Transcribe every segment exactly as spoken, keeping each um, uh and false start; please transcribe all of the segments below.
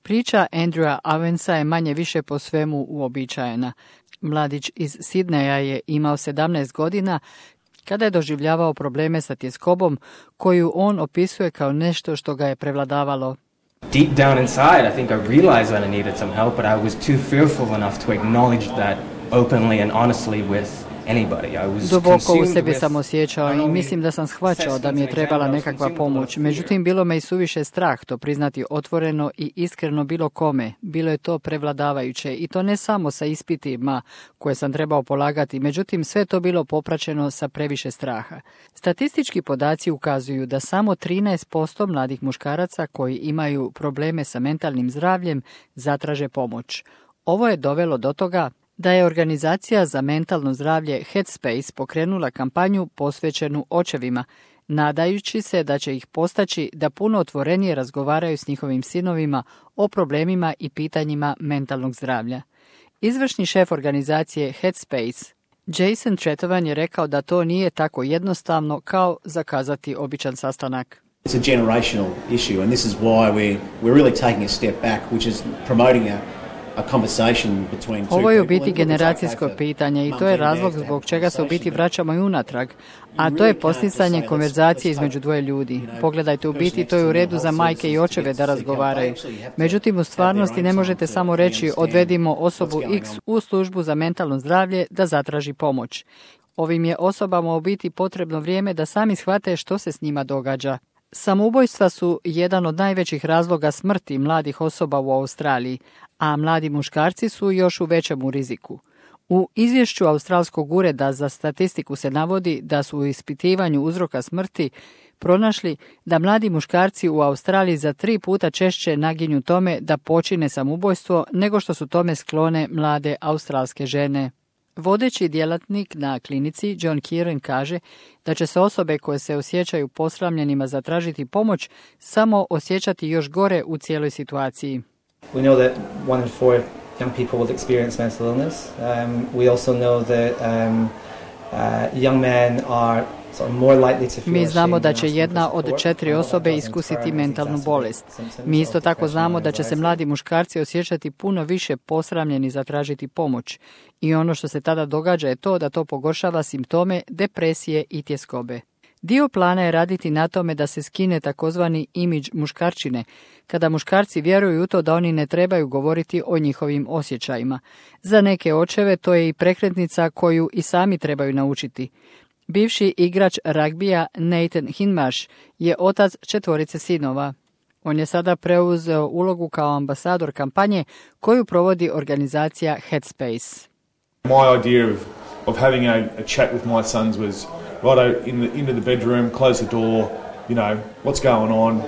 Priča Andrewa Avensa je manje više po svemu uobičajena. Mladić iz Sidneja je imao sedamnaest godina kada je doživljavao probleme sa tjeskobom koju on opisuje kao nešto što ga je prevladavalo. Deep down inside, I think I realized that I needed some help, but I was too fearful enough to acknowledge that openly and honestly with anybody. I was Duboko u sebi sam osjećao i mislim da sam shvaćao da mi je trebala nekakva pomoć. Međutim, bilo me i suviše strah to priznati otvoreno i iskreno bilo kome. Bilo je to prevladavajuće i to ne samo sa ispitima koje sam trebao polagati, međutim sve to bilo popraćeno sa previše straha. Statistički podaci ukazuju da samo trinaest posto mladih muškaraca koji imaju probleme sa mentalnim zdravljem zatraže pomoć. Ovo je dovelo do toga da je organizacija za mentalno zdravlje Headspace pokrenula kampanju posvećenu očevima, nadajući se da će ih postaći da puno otvorenije razgovaraju s njihovim sinovima o problemima i pitanjima mentalnog zdravlja. Izvršni šef organizacije Headspace, Jason Tretovan, je rekao da to nije tako jednostavno kao zakazati običan sastanak. It's a generational issue and this is why we we're really taking a step back, which is promoting a Ovo je u biti generacijsko pitanje i to je razlog zbog čega se u biti vraćamo i unatrag, a to je posticanje konverzacije između dvoje ljudi. Pogledajte, u biti to je u redu za majke i očeve da razgovaraju. Međutim, u stvarnosti ne možete samo reći odvedimo osobu X u službu za mentalno zdravlje da zatraži pomoć. Ovim je osobama u biti potrebno vrijeme da sami shvate što se s njima događa. Samoubojstva su jedan od najvećih razloga smrti mladih osoba u Australiji, a mladi muškarci su još u većem riziku. U izvješću Australskog ureda za statistiku se navodi da su u ispitivanju uzroka smrti pronašli da mladi muškarci u Australiji za tri puta češće naginju tome da počine samoubojstvo nego što su tome sklone mlade australske žene. Vodeći djelatnik na klinici John Kieran kaže da će se osobe koje se osjećaju posramljenima zatražiti pomoć samo osjećati još gore u cijeloj situaciji. We know that one in four young people will experience mental illness. Um, we also know that um, uh, young men are sort of more likely to feel Mi znamo da će ashamed jedna and od support, četiri and osobe that iskusiti doesn't mentalnu exacerbate bolest. symptoms Mi isto of tako znamo da će se depression and mladi muškarci osjećati puno više posramljeni zatražiti pomoć. I ono što se tada događa je to da to pogoršava simptome depresije i tjeskobe. Dio plana je raditi na tome da se skine takozvani imidž muškarčine, kada muškarci vjeruju u to da oni ne trebaju govoriti o njihovim osjećajima. Za neke očeve to je i prekretnica koju i sami trebaju naučiti. Bivši igrač ragbija Nathan Hinmarsh je otac četvorice sinova. On je sada preuzeo ulogu kao ambasador kampanje koju provodi organizacija Headspace. My idea of, of having a, a chat with my sons was right in the, into the bedroom, close the door, you know, what's going on.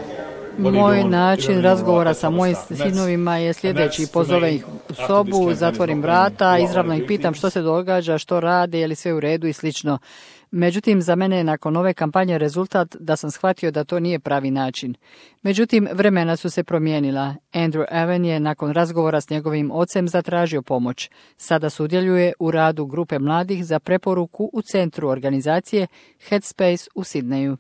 Moj način razgovora sa mojim sinovima je sljedeći. Pozovem ih u sobu, zatvorim vrata, izravno ih pitam što se događa, što rade, je li sve u redu i slično. Međutim, za mene je nakon ove kampanje rezultat da sam shvatio da to nije pravi način. Međutim, vremena su se promijenila. Andrew Aven je nakon razgovora s njegovim ocem zatražio pomoć. Sada sudjeluje u radu grupe mladih za preporuku u centru organizacije Headspace u Sidneju.